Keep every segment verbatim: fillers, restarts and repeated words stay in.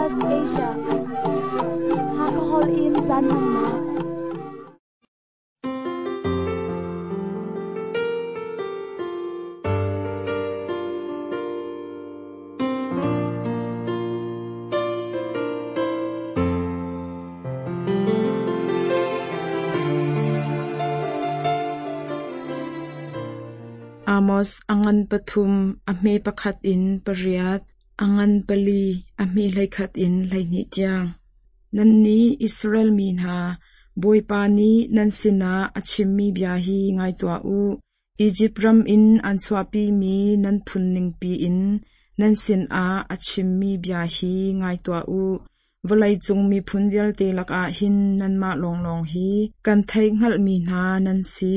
S B S Asia Hakahol in caan hmannak. Amos angan pathum ahme pakhat in pariat angan pali ahme hleikhat in hleihnih tiang. Nan nih Israel mi hna, Bawipa nih nan sinah a chimmi bia hi ngai tuah u. Izipt ram in an chuahpimi nan phun ningpi in nan sinah a chimmi bia hi ngai tuah u. Vawleicung miphun vialte lakah hin nanmah lawnglawng hi kan theih hngalhmi hna nan si.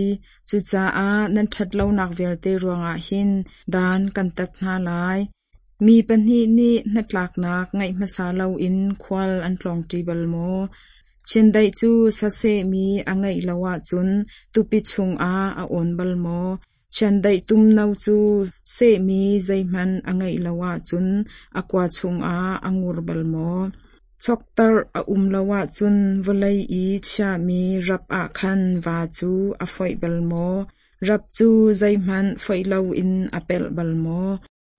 Cucaah nan ṭhatlonak vialte ruangah hin dan kan tat hna lai. Mi pahnih nih hnatlaknak ngeih hmasa loin khual an tlawngṭi bal maw? Chiandeih cu sasehmi a ngeih lo ahcun tupi chungah a awn bal maw? Chiandeih tumno cu sehmi zeihmanh a ngeih lo ahcun a kua chungah a ngur bal maw? Choktarh a um lo ahcun vawlei i chiahmi rap ah khan va cu a foih bal maw? Rap cu zeihmanh foih loin a pelh bal maw?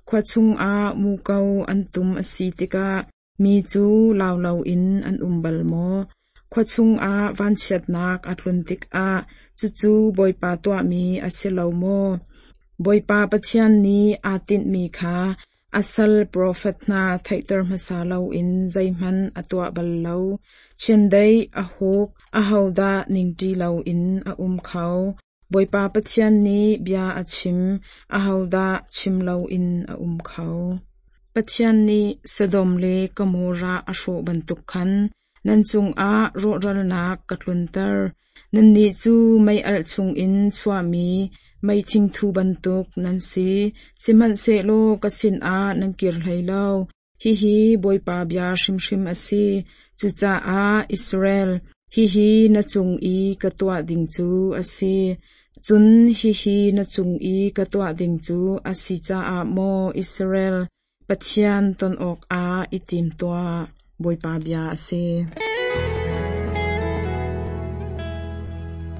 Khua chungah muko an tum a si tikah mi cu lau loin an um bal maw? Khua chungah vanchiatnak a tlun tikah cucu Bawipa tuahmi a si lo maw? Bawipa Pathian nih aa tinhmi kha a sal profet hna theihter hmasa loin zeihmanh a tuah bal lo. Chiandeih a huk ahodah ningṭi loin a um kho? Bawipa Pathian nih bia a chim, ahodah chim loin a um kho? Pathian nih Sodom le Gomorrah a hrawh bantuk khan nan cungah rawhralnak ka tlunter. Nannih cu mei-alh chungin chuahmi mei thingthu bantuk nan si. Sihmanhsehlaw ka sinah nan kir hlei lo. Hihi Bawipa bia hrimhrim a si. Cucaah Israel, hihi na cung i ka tuah ding cu a si. Cun hihi na cung i ka tuah ding cu a si caah maw Israel, Pathian ton awkah i tim tuah. Bawipa bia a si.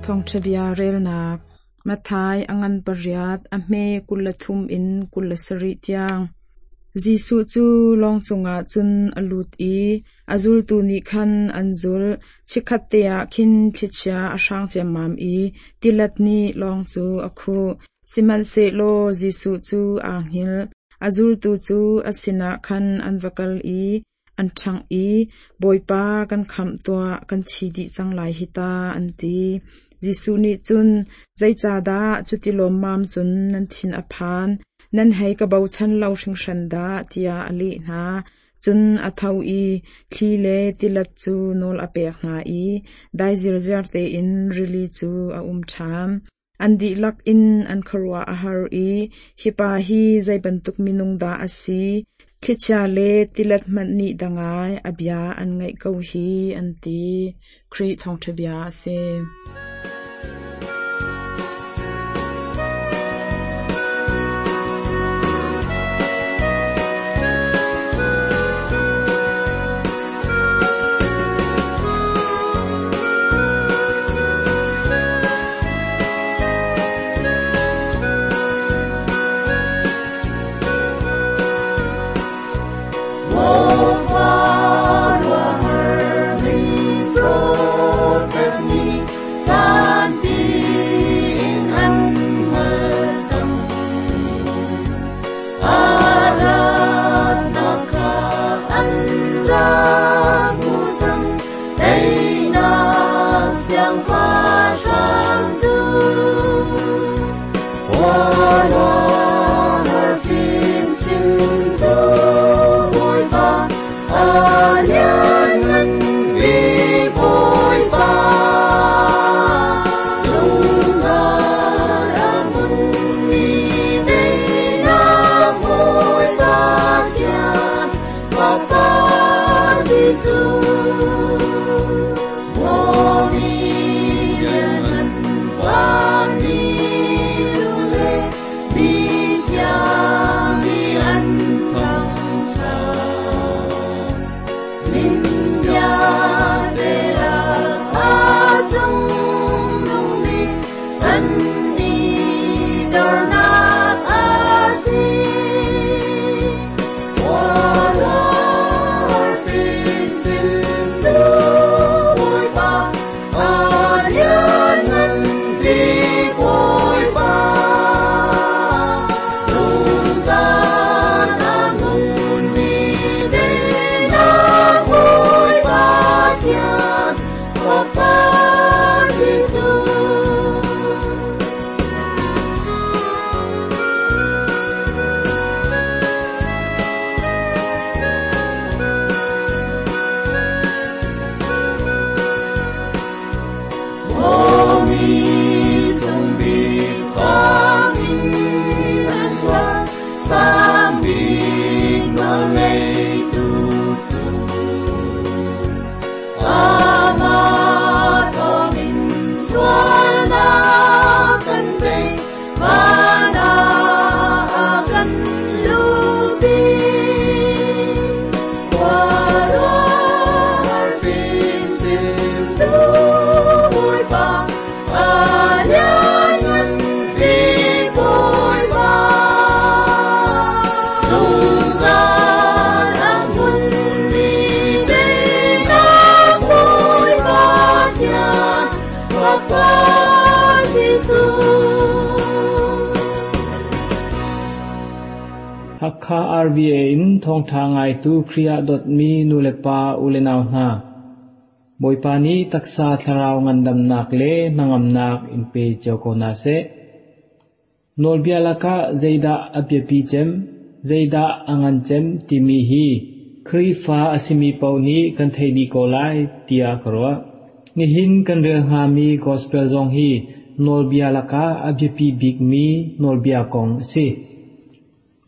Thawngṭha bia relnak Matthai angan pariat a hme kul le thum in kul le sarih tiang. Jesuh cu lawng cungah cun a lut i a zultu nih khan an zulh. Chikkhat te ah khin thlichia a hrang ciammam i tilet nih lawng cu a khuh. Sihmanhsehlaw Jesuh cu aa hngilh. A zultu cu a sinah khan an va kal i an ṭhangh i, Bawipa kan khamh tuah, kan thi dih cang lai hi ta, an ti. Jesuh nih cun, zeicahdah cuti lawmmam cun nan thin a phan? Nan hei ka bochan lo hringhran dah, tiah a leh hna. Cun a tho i thli le tilet cu nawl a pek hna i dai zirziar tein rili cu a um ṭhan. An dihlak in an khuaruah a har i, hi pa hi zei bantuk minung dah a si? Thlichia le tilet hmanh nih dangai a bia an ngaih ko hi, an ti. Khrih thawngṭha bia a si. Hakha R B A in thawngtha ngaitu Khrih ah dawtmi nulepa ulenau hna. Bawipa nih taksa thlarau ngandamnak le hnangamnak in pe cio ko hna seh. Nawlbia lakah zeidah a biapi cem, zeidah a ngan cem timi hi Khrihfa a simi paoh nih kan theih dih ko lai tiah ka ruah. Nihin kan rel hngami gospel zong hi nawlbia lakah a biapi bikmi nawlbia kong a si.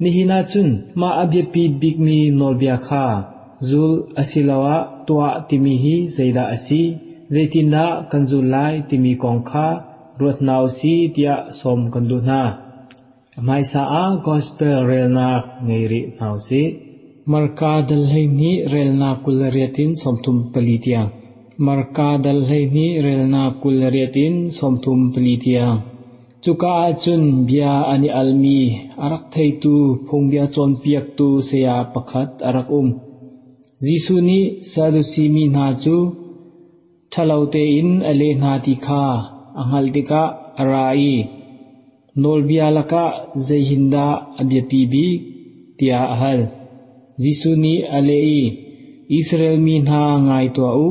Nihin ahcun mah a biapi bikmi nawlbia kha zul asiloah tuah timi hi zeidah a si, zeitindah kan zul lai timi kong kha ruat hna usih tiah sawm kan duh hna. A hmaisa ah gospel relnak ngei rih hna usih. Marka dal hleihnih relnak kul riat in sawmthum pali tiang. Marka dal hleihnih relnak kul riat in sawmthum pali tiang. Cuka ahcun bia an i almi a rak theitu phungbia cawnpiaktu saya pakhat a rak um. Jesuh nih Sadusi mi hna cu ṭhalo tein a leh hna ti kha a hngalh tikah a ra i nawlbia lakah zeihindah a biapi bik tiah a hal. Jesuh nih a leh i, Israel mi hna ngai tuah u,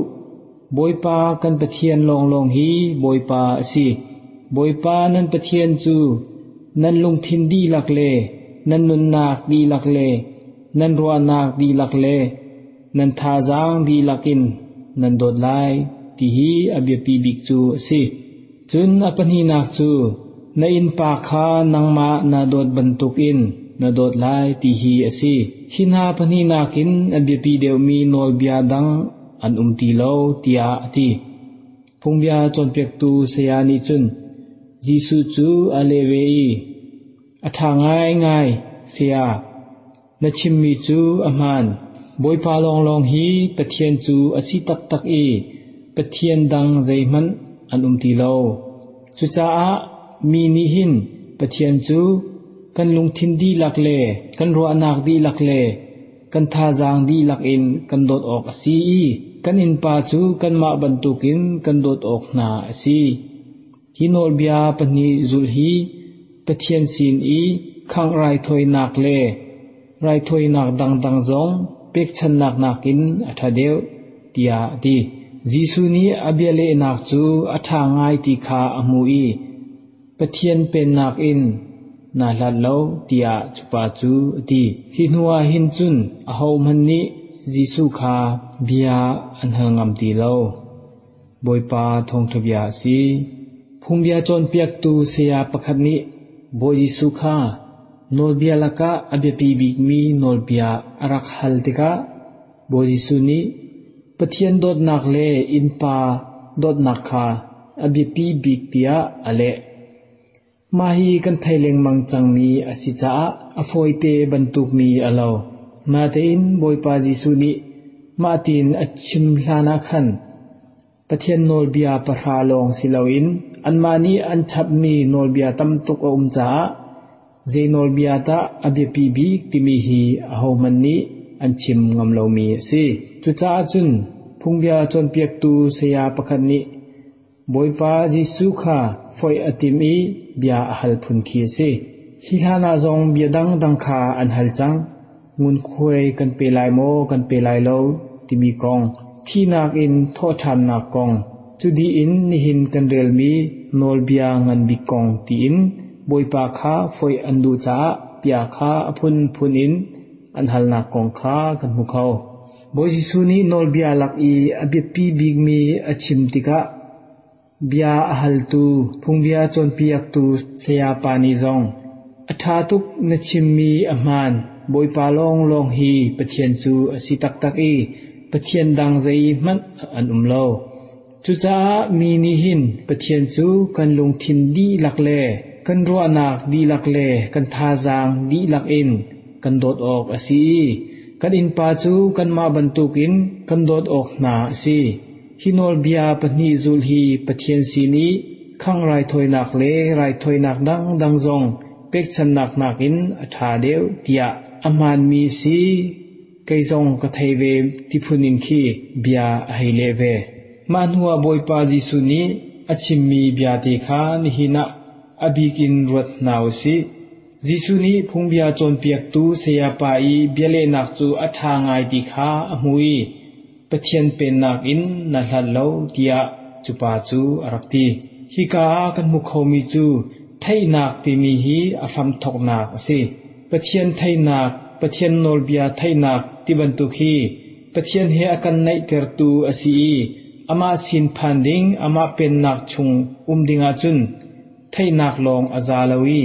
Bawipa kan Pathian lawnglawng hi Bawipa a si. Bawipa nan Pathian cu nan lungthin dihlak le nan nunnak dihlak le nan ruahnak dihlak le nan thazaang dihlak in nan dawt lai ti hi a biapi bik cu a si. Cun a pahnihnak cu na innpa kha nangmah na dawt bantukin na dawt lai ti hi a si. Hi hna pahnihnak in a biapi deuhmi nawlbia dang an um ti lo tiah a ti. Phungbia cawnpiaktu saya nih cun Jesuh cu a leh ve i, a ṭha ngaingai, saya, na chimmi cu a hmaan. Bawipa lawnglawng hi Pathian cu a si taktak i Pathian dang zeihmanh an um ti lo. Cucaah mi nih hin Pathian cu kan lungthin dihlak le kan ruahnak dihlak le kan thazaang dihlak in kan dawt awk a si i kan innpa cu kanmah bantukin kan dawt awk hna a si. Hi nawlbia pahnih zulh hi Pathian sin i khangh raithawinak le raithawinak dangdang zong pekchannak nakin a ṭha deuh tiah a ti. Jesuh nih a bialehnak cu a ṭha ngai ti kha a hmu i Pathian pennak in naa hlat lo tiah cupa cu a ti. Hi hnuah hin cun ahohmanh nih Jesuh kha bia an hal ngam ti lo. Bawipa thawngṭha bia a si. Phungbia cawnpiaktu saya pakhat nih Bawi Jesuh kha nawlbia lakah a biapi bikmi nawlbia a rak hal tikah Bawi Jesuh nih Pathian dawtnak le innpa dawtnak kha a biapi bik tiah a leh. Mah hi kan thei lengmang cangmi a si caah a fawite bantukmi a lo. Natein Bawipa Jesuh nih mah tiin a chim hlan ah khan Pathian nawlbia pahra lawng si loin anmah nih an chapmi nawlbia tam tuk a um caah zei nawlbia dah a biapi bik timi hi ahohmanh nih an chim ngam lomi a si. Cucaah cun phungbia cawnpiaktu saya pakhat nih Bawipa Jesuh kha foih a tim i bia a hal phun khi a si. Hi hlanah zong bia dangdang kha an hal cang. Ngunkhuai kan pe lai maw kan pe lai lo timi kong, thihnak in thawhṭhannak kong, cu dih in nihin kan relmi nawlbia ngan bik kong tiin Bawipa kha foih an duh caah bia kha a phunphun in an halnak kong kha kan hmu kho. Bawi Jesuh nih nawlbia lak i a biapi bikmi a chim tikah bia a haltu phungbia cawnpiaktu sayapa nih zong a ṭha tuk na chimmi a hmaan, Bawipa lawnglawng hi Pathian cu a si taktak i Pathian dang zeihmanh an um lo. Cucaah mi nih hin Pathian cu kan lungthin dihlak le kan ruahnak dihlak le kan thazaang dihlak in kan dawt awk a si i kan innpa cu kanmah bantukin kan dawt awk hna a si. Hi nawlbia pahnih zulh hi Pathian sin i khangh raithawinak le raithawinak dangdang zong pekchannak nakin a ṭha deuh tiah a hmaanmi si kei zong ka thei ve ti phun in khi bia a hei leh ve. Mah hnuah Bawipa Jesuh nih a chimmi bia te kha nihin ah a bik in ruat hna usih. Jesuh nih phungbia cawnpiaktu sayapa i bialehnak cu a ṭha ngai ti kha a hmu i Pathian pennak in na hlat lo tiah cu pa cu a rak ti. Hika ah kan hmu khomi cu theihnak timi hi a hramthawknak a si. Pathian theihnak, Pathian nawlbia theihnak ti bantuk hi Pathian he a kan naihtertu a si i amah sin phan ding, amah pennak chung um ding ahcun theihnak lawng a za lo i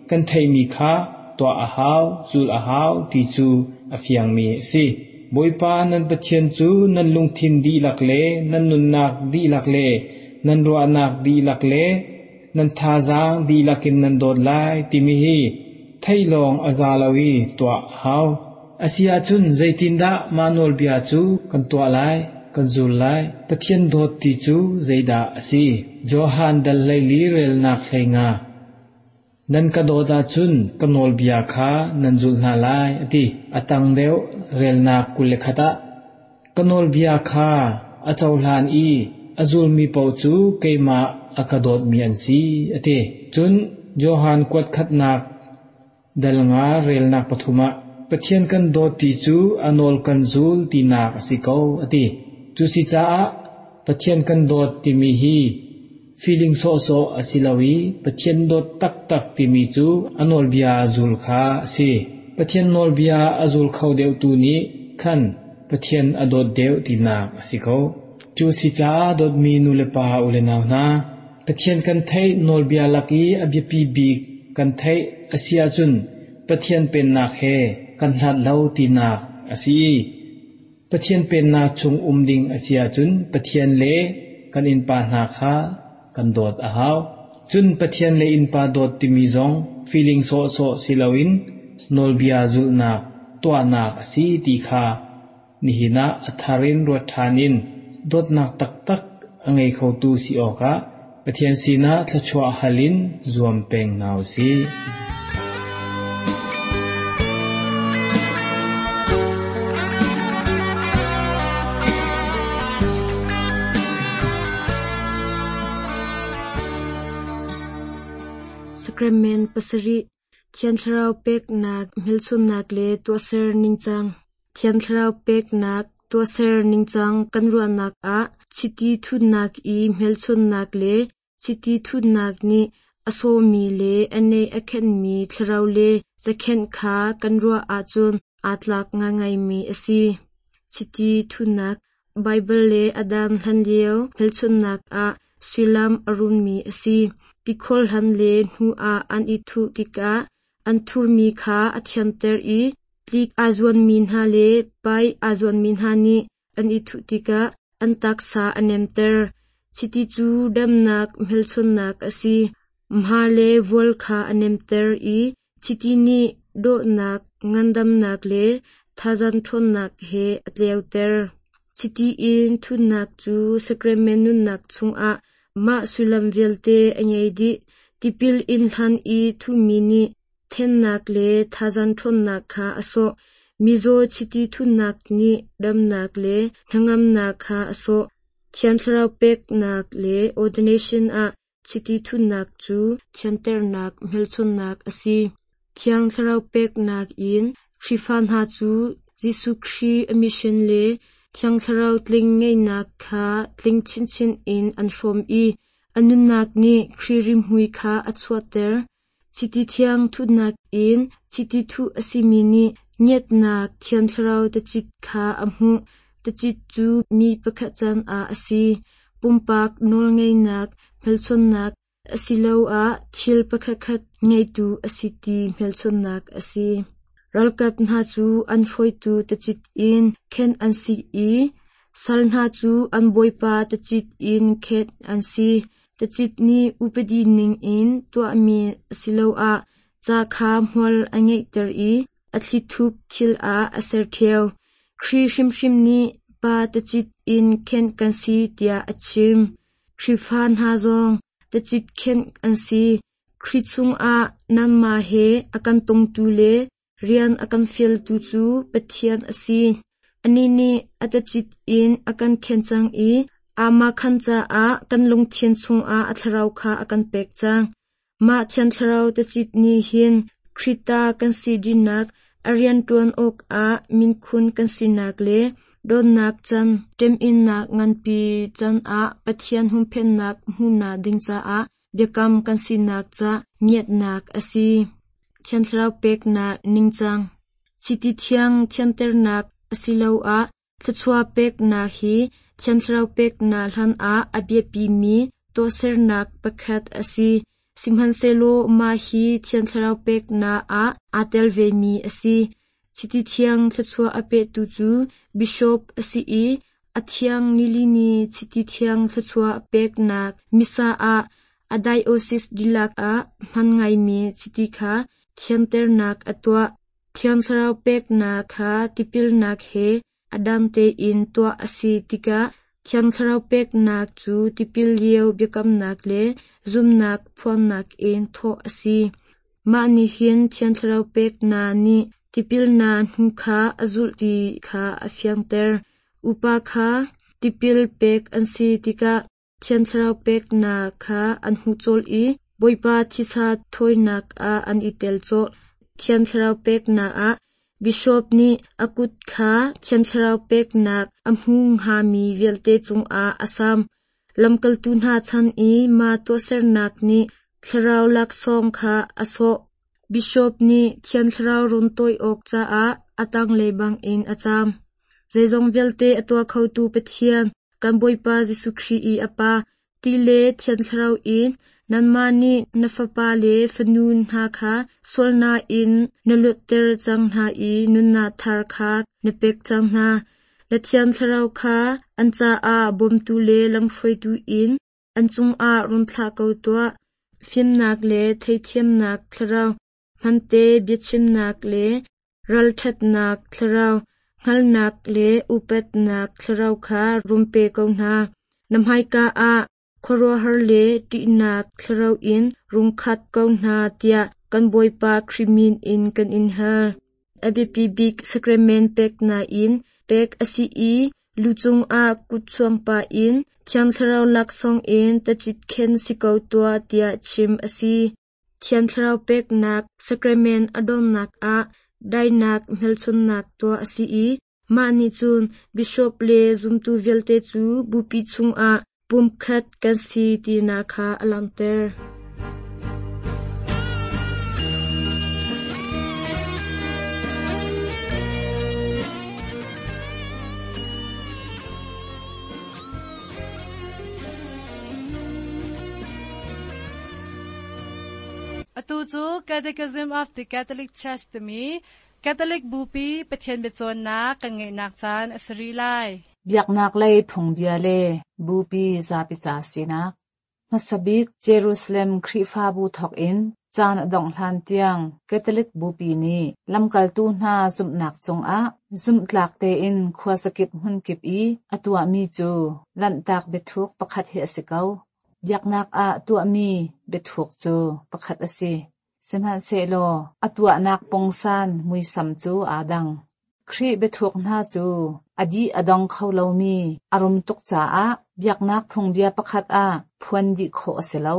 kan theihmi kha tuah a hau, zul a hau ti cu a fiangmi a si. Bawipa nan Pathian cu nan lungthin dihlak le nan nunnak dihlak le nan ruahnak dihlak le nan thazaang dihlak in nan dawt lai timi hi theih lawng a za lo i tuah a hau. A si ahcun zeitindah mah nawlbia cu kan tuah lai, kan zul lai? Pathian dawt ti cu zeidah a si? Johan dal hleili relnak hleinga. Nan ka dawt ahcun ka nawlbia kha nan zulh hna lai, a ti. A tang deuh relnak kul le khat ah. Ka nawlbia kha a cohlan i a zulmi paoh cu keimah a ka dawtmi an si, a ti. Cun Johan kuat khatnak dal nga relnak pathum ah Pathian kan dawt ti cu a nawl kan zul tinak a si ko, a ti. Cu si caah Pathian kan dawt timi hi feeling sawhsawh a si lo i Pathian dawt taktak timi cu a nawlbia zul kha a si. Pathian nawlbia a zul kho deuhtu nih khan Pathian a dawt deuh tinak a si ko. Cu si caah dawtmi nulepa u le nau hna, Pathian kan theih nawlbia lak i a biapi bik kan theih a si ahcun Pathian pennak he kan hlat lo tinak a si i Pathian pennak chung um ding a si ahcun Pathian le kan innpa hna kha kan dawt a hau. Cun Pathian le innpa dawt timi zong feeling sawhsawh si loin nawlbia zulhnak tuahnak a si ti kha nihin ah a thar in ruat ṭhan in dawtnak taktak a ngei khotu si awkah Pathian sinah thluachuah hal in zuam peng hna u sih. Sacrament pasarih Thiang Thlarau peknak hmelchunhnak le tuahser ningcang. Thiang Thlarau peknak tuahser ningcang kan ruahnak ah chiti thutnak i hmelchunhnak le chiti thutnak nih a sawmi le a neih a khenhmi thlarau le cakhenh kha kan ruah ahcun aa tlak ngaingaimi a si. Chiti thutnak Baibal le Adam hlanlio hmelchunhnak ah sullam a rummi a si. Tikhor hlan le hnu ah an i thuh tikah an thurmi kha a thianter i tlik aa zuanmi hna le pai aa zuanmi hna nih an i thuh tikah an taksa a nemter. Chiti cu damnak hmelchunhnak a si. Hma le vual kha a nemter i chiti nih dawhnak, ngandamnak le thazaang ṭhawnnak he a tleuter. Chiti in thutnak cu sacrament nunnak chungah mah sullam vialte a ngei dih. Tipil in hlan i thuhmi nih thennak le thazaang ṭhawnnak kha a sawh. Mizaw chiti thutnak nih damnak le hnangamnak kha a sawh. Thiang Thlarau peknak le ordination ah chiti thutnak cu thianternak hmelchunhnak a si. Thiang Thlarau peknak in Khrihfa hna cu Jesuh Khrih a mission le Thiang Thlarau tling ngeihnak kha tling chinchin in an hrawm i a nunnak nih Khrih rimhmui kha a chuahter. Chiti thiang thutnak in chiti thuh a simi nih ngiatnak Thiang Thlarau tacit kha a hmuh. Tacit cu mi pakhat can ah a si. Pumpak nawlngeihnak hmelchunhnak asiloah thil pakhatkhat ngeitu a si ti hmelchunhnak a si. Ralkap hna cu an hruaitu tacit in khenh an si i sal hna cu an bawipa tacit in khenh an si. Tacit nih upadi ning in tuahmi asiloah ca kha hmual a ngeihter i a thlithup thil ah a ser ṭheo. Khrih hrimhrim nih Pa tacit in khenh kan si tiah a chim. Khrihfa hna zong tacit khenh an si. Khrih chungah nanmah he a kan tongtu le rian a kan fialtu cu Pathian a si. Anih nih a tacit in a kan khenh cang i amah khan caah kan lungthin chungah a thlarau kha a kan pek cang. Mah Thiang Thlarau tacit nih hin Khrita kan si dinak a rianṭuan awkah minkhun kan sinak le dawtnak can ṭeminnak nganpi can ah Pathian humphennak hmuhnak ding caah biakam kan sinak ca ngiatnak a si. Thiang Thlarau peknak ningcang. Chiti thiang thianternak asiloah thluachuah peknak hi Thiang Thlarau peknak hlanah a biapimi tuahsernak pakhat a si. Sihmanhsehlaw mah hi Thiang Thlarau peknak ah aa tel vemi a si. Chiti thiang thluachuah a petu cu bishop a si i a thiang nilini chiti thiang thluachuah peknak Missa ah a diocese dihlak ah hman ngaimi chiti kha thianternak a tuah. Thiang Thlarau peknak kha tipilnak he a dang tein tuah a si tikah Thiang Thlarau peknak cu tipil lio biakamnak le zumhnak phuannak in thawh a si. Mah nih hin Thiang Thlarau peknak nih tipilnak hnu kha a zulh ti kha a fianter. Upa kha tipil pek an si tikah Thiang Thlarau peknak kha an hmu colh i Bawipa thisa thawinak ah an i tel colh. Thiang Thlarau peknak ah Bishop nih a kut kha Thiang Thlarau peknak a hmu hngami vialte cungah a sam. Lamkaltu hna chan i mah tuahsernak nih Thlarau laksawng kha a sawh. Bishop nih Thiang Thlarau run tawi awk caah a tanglei bangin a cam. Zeizong vialte a tuah khotu Pathian, kan Bawipa Jesuh Khrih i a Pa, ti le Thiang Thlarau in nanmah nih na fapa le fanu hna kha sualnak in na luatter cang hna i nunnak thar kha na pek cang hna. Na Thiang Thlarau kha an caah bawmtu le lamhruaitu in an cungah run thlah ko tuah. Fimnak le theithiamnak thlarau, hmante biachimnak le ralṭhatnak thlarau, hngalhnak le upatnak thlarau kha run pe ko hna. Na hmaika ah khuaruahhar le ṭihnak thlarau in rung khat ko hna tiah kan Bawipa Khrih min in kan in hal. A biapi bik sacrament peknak in pek a si i lu cungah kut chuangpa in Thiang Thlarau laksawng in tacit khen si ko tuah tiah chim a si. Thiang Thlarau peknak sacrament a donnak ah dainak hmelchunhnak tuah a si i mah nih cun bishop le zumtu vialte cu bupi chungah pumkhat kan si tinak kha a langhter. Atu cu Catechism of the Catholic Church timi Catholic Bupi Pathian biacawnnak kan ngeihnak caan a si rih lai. Biaknak lei phungbia le bupi zapi ca sinak. Hmasa bik Jerusalem Khrihfabu thawk in caan a dongh hlan tiang Catholic Bupi nih lamkaltu hna zumhnak cungah zumhtlak tein khuazakip hmunkip i a tuahmi cu lanhtak biathuk pakhat hi a si ko. Biaknak ah tuahmi biathuk cu pakhat a si. Sihmanhsehlaw a tuahnak pungsan muisam cu aa dang. Khrih biathuk hna cu a dih a dong kho lomi a rum tuk caah biaknak phungbia pakhat ah phuan dih khawh a si lo.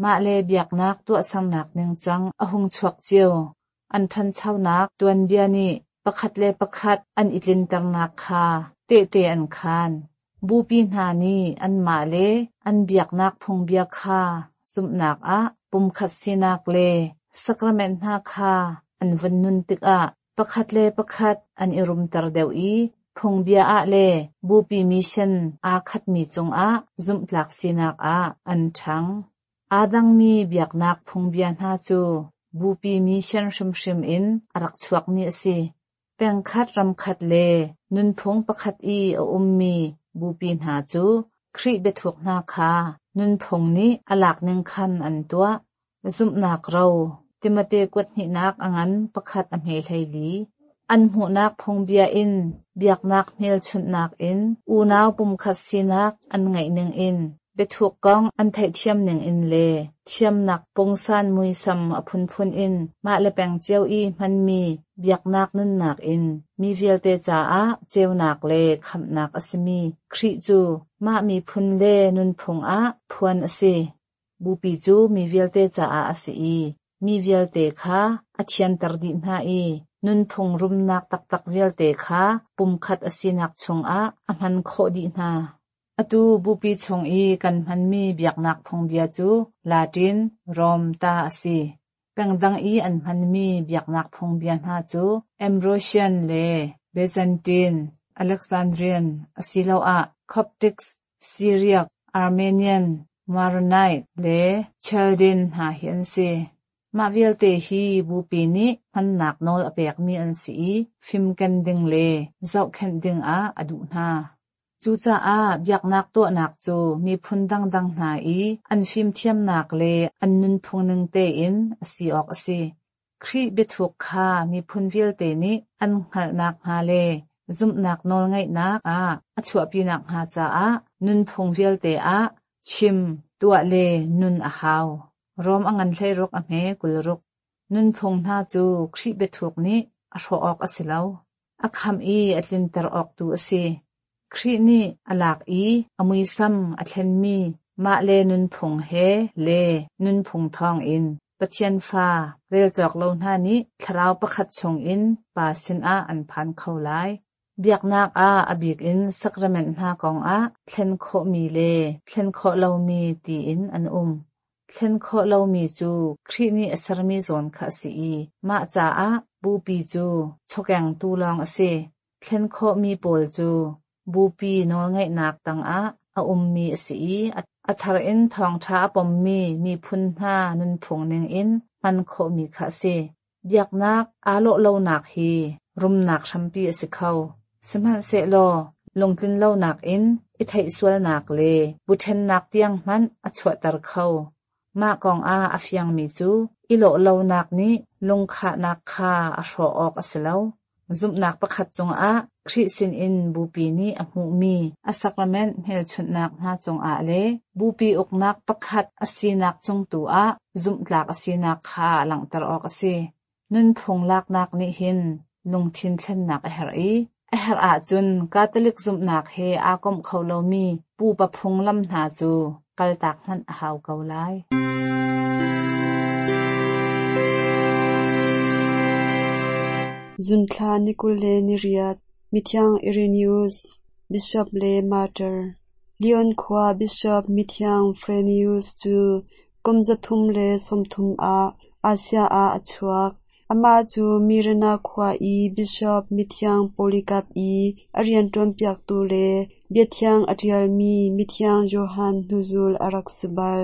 Mah le biaknak tuahsernak ningcang a hung chuak cio. An ṭhanchonak tuanbia nih pakhat le pakhat an i tlinternak kha tehte an khaan. Bupi hna nih anmah le an biaknak phungbia kha zumhnak ah pumkhat sinak le sacrament hna kha an vun nun tikah pakhat le pakhat an i rumter deuh i phungbia ah le bupi mission aa khatmi cungah zumhtlak sinak ah an ṭhang. Aa dangmi biaknak phungbia hna cu bupi mission hrimhrim in a rak chuakmi a si. Pengkhat ramkhat le nunphung pakhat i a ummi bupi hna cu Khrih biathuk hna kha nunphung nih a lak ning khan an tuah. Zumhnak ro Timote kuat hnihnak a ngan pakhat a hme hleili. An hmuhnak phungbia in biaknak hmelchunhnak in unau pumkhat sinak an ngeih ning in biathuk kong an theihthiam ning in le thiamnak pungsan muisam a phunphun in mah le peng cio i hmanmi biaknak nunnak in mi vialte caah ceunak le khamhnak a simi Khrih cu mah miphun le nunphung ah phuan a si. Bupi cu mi vialte caah a si i mi vialte kha a thianter dih hna i nunphung rumnak taktak vialte kha pumkhat a sinak chungah a hman khawh dih hna. Atu bupi chung i kan hmanmi biaknak phungbia cu Latin, Rom ta a si. Pengdang i an hmanmi biaknak phungbia hna cu Ambrosian le Byzantine, Alexandrian asiloah Coptic, Syriac, Armenian, Maronite le Chaldean hna hi an si. Mah vialte hi bupi nih hmannak nawl a pekmi an si i fimken ding le zohkhenh dingah a duh hna. Cucaah biaknak tuahnak cu miphun dangdang hna i an fimthiamnak le an nunphung ning tein a si awk a si. Khrih biathuk kha miphun vialte nih an hngalhnak hnga le zumhnak nawlngeihnak ah a chuahpinak hnga caah nunphung vialte ah chim, tuah le nun a hau. Rom a ngan hleiruk a hme kulruk. Nunphung hna cu Khrih biathuk nih a hrawh awk a si lo. A khamh i a tlinter awk tu a si. Khrih nih a lak i a muisam a thlenmi mah le nunphung he le nunphung thawngin Pathian fa relcawk lo hna nih thlarau pakhat chungin Pa sinah an phan kho lai. Biaknak ah a bik in sacrament hna kongah thlen khawhmi le thlen khawh lomi tiin an um. Thlen khawh lomi cu Khrih nih a sermi zawn kha a si i mah caah bupi cu chawkengtu lawng a si. Thlen khawhmi pawl cu bupi nawlngeihnak tangah a ummi a si i a thar in thawngṭha a pommi miphun hna nunphung ningin hman khawhmi kha a si. Biaknak aa lawh lonak hi rumnak hrampi a si kho. Sihmanhsehlaw lungtlin lonak in i theihsualnak le buṭhennak tiang hmanh a chuahter kho. Mah kongah a fiangmi cu i lawh lonak nih lungkhahnak kha a hrawh awk a si lo. Zumhnak pakhat cungah Khrih sinin bupi nih a hmuhmi a sacrament hmelchunhnak hna cungah le bupi uknak pakhat a sinak cung tu ah zumhtlak a sinak kha langhter awk a si. Nunphung laknak nih hin lungthin thlennak a herh i a herh ahcun Catholic zumhnak he aa komh kho lomi pupa phunglam hna cu kaltak hmanh a hau ko lai. Zunthla ni kul le ni riat, Mithiang Irenaeus, Bishop le Martyr. Lyon khua Bishop Mithiang Irenaeus cu kum zathum le sawmthum ah Asia ah a chuak. Amah cu Mirana khua i Bishop Mithiang Polycarp i a rianṭuanpiaktu le biathiang a ṭialmi Mithiang Johan hnuzul a rak si bal.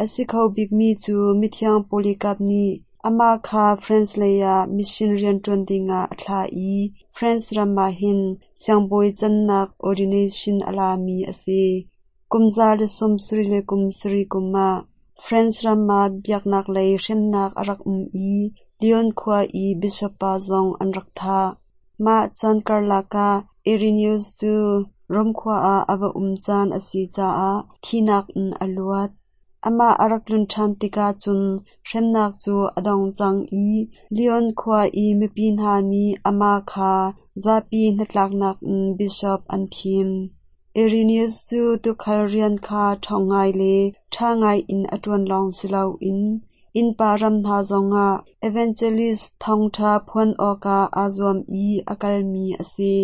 A si kho bikmi cu Mithiang Polycarp nih amah kha France lei ah mission rianṭuan dingah a thlah i France ram ah hin siangbawi cannak ordination a lami a si. Kum za le sawm sarih le kum sarih kum ah France ram ah biaknak lei hremnak a rak um i Lyon khua i bishop pa zong an rak thah. Mah caan karlak ah Irenaeus cu Rom khua ah a va um caan a si caah thihnak in a luat. Amah a rak tlun ṭhan tikah cun hremnak cu a dong cang i Lyon khua i mipi hna nih amah kha zapi hnatlaknak in bishop an thim. Irenaeus cu tuukhal rian kha ṭhawng ngai le ṭha ngai in a ṭuan lawng si loin innpa ram hna zongah evangelist thawngṭha phuan awkah aa zuam i a kalmi a si.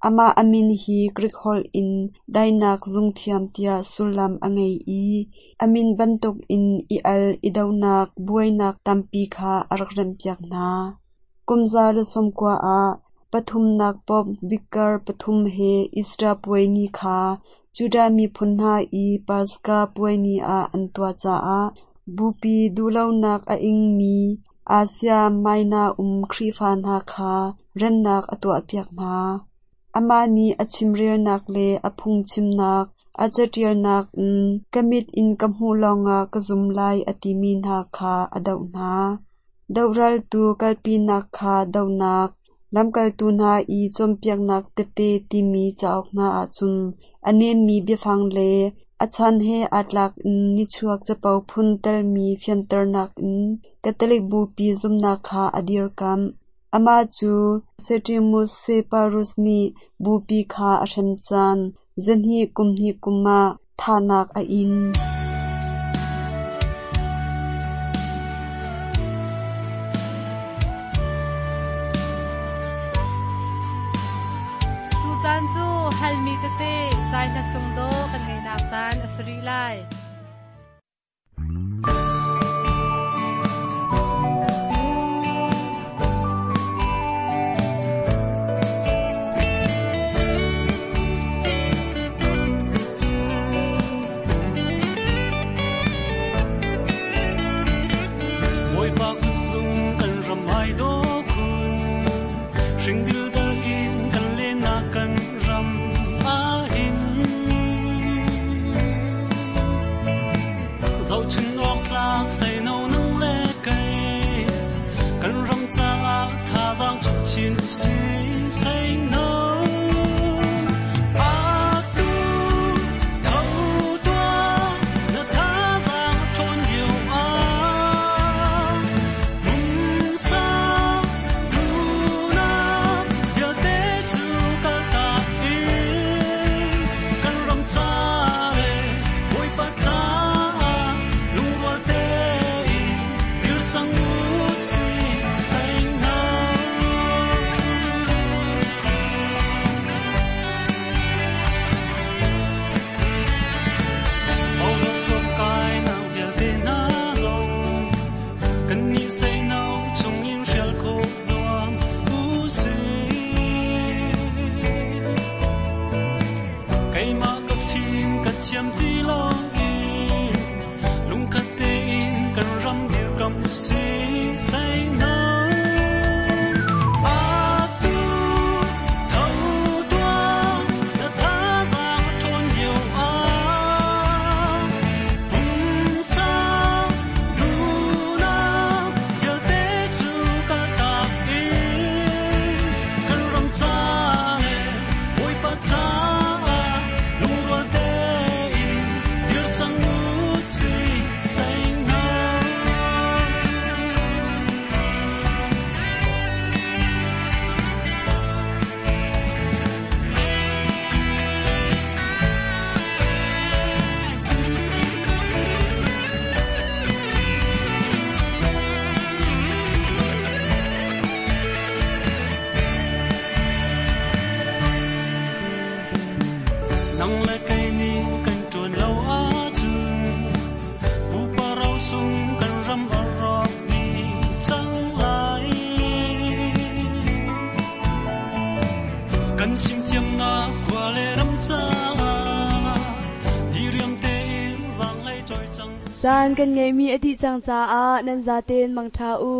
Amah a min hi Greek holh in daihnak zungthiam tiah sullam a ngei i a min bantukin i al i donak buainak tampi kha a rak remhpiak hna. Kum za le sawmkua ah pathumnak Pope Vicar pathum he Easter puai ni kha Judah miphun hna i Paska puai ni ah an tuah caah bupi duhlonak a ingmi Asia Minor um Khrihfa hna kha remnak a tuahpiak hna. Amah nih a chimrelnak le a phungchimnak, a caṭialnak in ka mit in ka hmuh lawngah ka zum lai a timi hna kha a doh hna. Dohraltu kalpinak kha dohnak, lamkaltu hna i cawnpiaknak tete timi cauk hna ahcun a nemmi biafang le a chan he aa tlak in nichuak capo phun telmi fianternak in Catholic bupi zumhnak kha a dirkamh. Amah cu Septimus Severus nih bupi kha a hrem caan zahnih kum hnih kum ah thahnak a in. tete zai hla sung do kan ngai nak caan a si rih lai. Chin si say no atu tho tua na tha giang thon yêu a mung sa du na ya te chu ka ta in kan ram cha le boi pa cha lung wa te dir chang u si say no. Chiam ti lo in lung khat te in kan ram dir kam si say no atu tho tua na tha giang thon nhiều a pum sa du na ya te chu ka ta in kan ram cha le oi pa cha lung wa te in dir chang u si say no. Nang le kai ni kan tuan lo a chu bu pa rau sung kan ram a ro ni chang lai kan chim thiam na kwa le ram cha di riam te in zang lai choi chang. Caan kan ngeimi a dih cang caah nan zaten mangṭha u.